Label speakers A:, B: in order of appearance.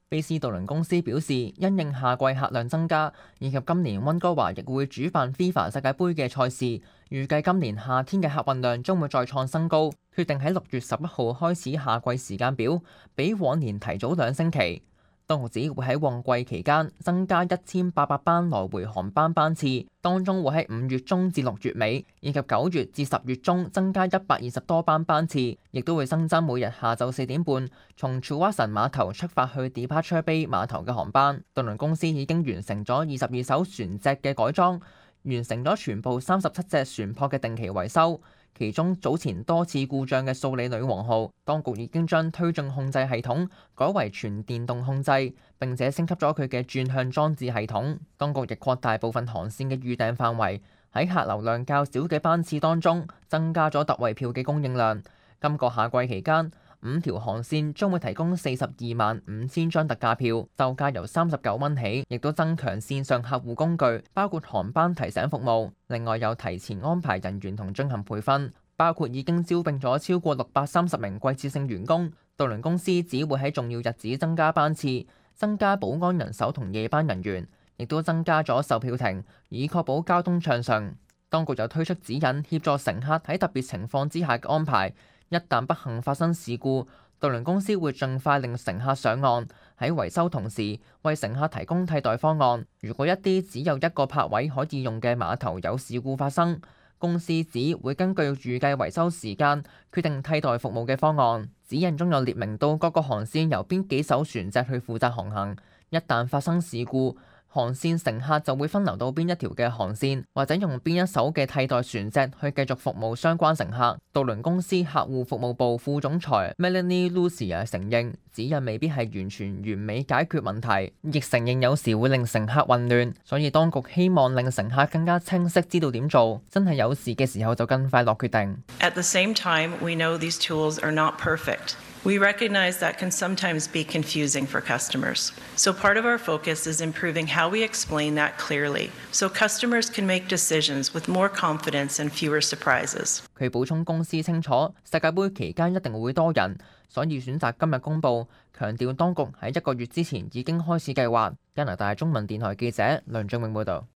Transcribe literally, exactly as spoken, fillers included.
A: 卑斯渡輪公司表示，因應夏季客量增加，以及今年溫哥華亦會主辦 FIFA 世界盃嘅賽事，預計今年夏天嘅客運量將會再創新高，決定喺六月十一號開始夏季時間表，比往年提早兩星期。當局指會喺旺季期間增加一千八百班來回航班班次，當中會喺五月中至六月尾，以及九月至十月中增加一百二十多班班次，亦都會新增每日下晝四點半從楚瓦臣碼頭出發去 Departure Bay 碼頭嘅航班。渡輪公司已經完成咗二十二艘船隻嘅改裝，完成咗全部三十七隻船舶嘅定期維修。其中早前多次故障嘅素里女王號，當局已經將推進控制系統改為全電動控制，並且升級咗佢嘅轉向裝置系統。當局亦擴大部分航線嘅預訂範圍，喺客流量較少嘅班次當中增加咗特惠票嘅供應量。今個夏季期間，五條航線將會提供四十二萬五千張特價票，售價由三十九蚊起，亦都增強線上客戶工具，包括航班提醒服務。另外有提前安排人員同進行培訓，包括已經招聘咗超過六百三十名季節性員工。渡輪公司只會喺重要日子增加班次，增加保安人手同夜班人員，亦都增加咗售票亭，以確保交通暢順。當局又推出指引，協助乘客喺特別情況之下嘅安排。一旦不幸發生事故，渡輪公司會盡快令乘客上岸，喺維修同時為乘客提供替代方案。如果一啲只有一個泊位可以用嘅碼頭有事故發生，公司只會根據預計維修時間決定替代服務嘅方案。指引中有列明到各個航線由邊幾艘船隻去負責航行，一旦發生事故，航線乘客就會分流到邊一條嘅航線，或者用邊一艘嘅替代船隻去繼續服務相關乘客。渡輪公司客戶服務部副總裁 Melanie Lucia 承認，指引未必係完全完美解決問題，亦承認有時會令乘客混亂，所以當局希望令乘客更加清晰知道點做，真係有事嘅時候就更快落決定。
B: At the same time, we know these tools are not perfect. We recognize that can sometimes be confusing for customers. So part of our focus is improving how we explain that clearly, so customers can make decisions with more confidence and fewer surprises.
A: 佢補充公司清楚，世界盃期間一定會多人，所以選擇今日公佈，強調當局喺一個月之前已經開始計劃。加拿大中文電台記者梁俊永報導。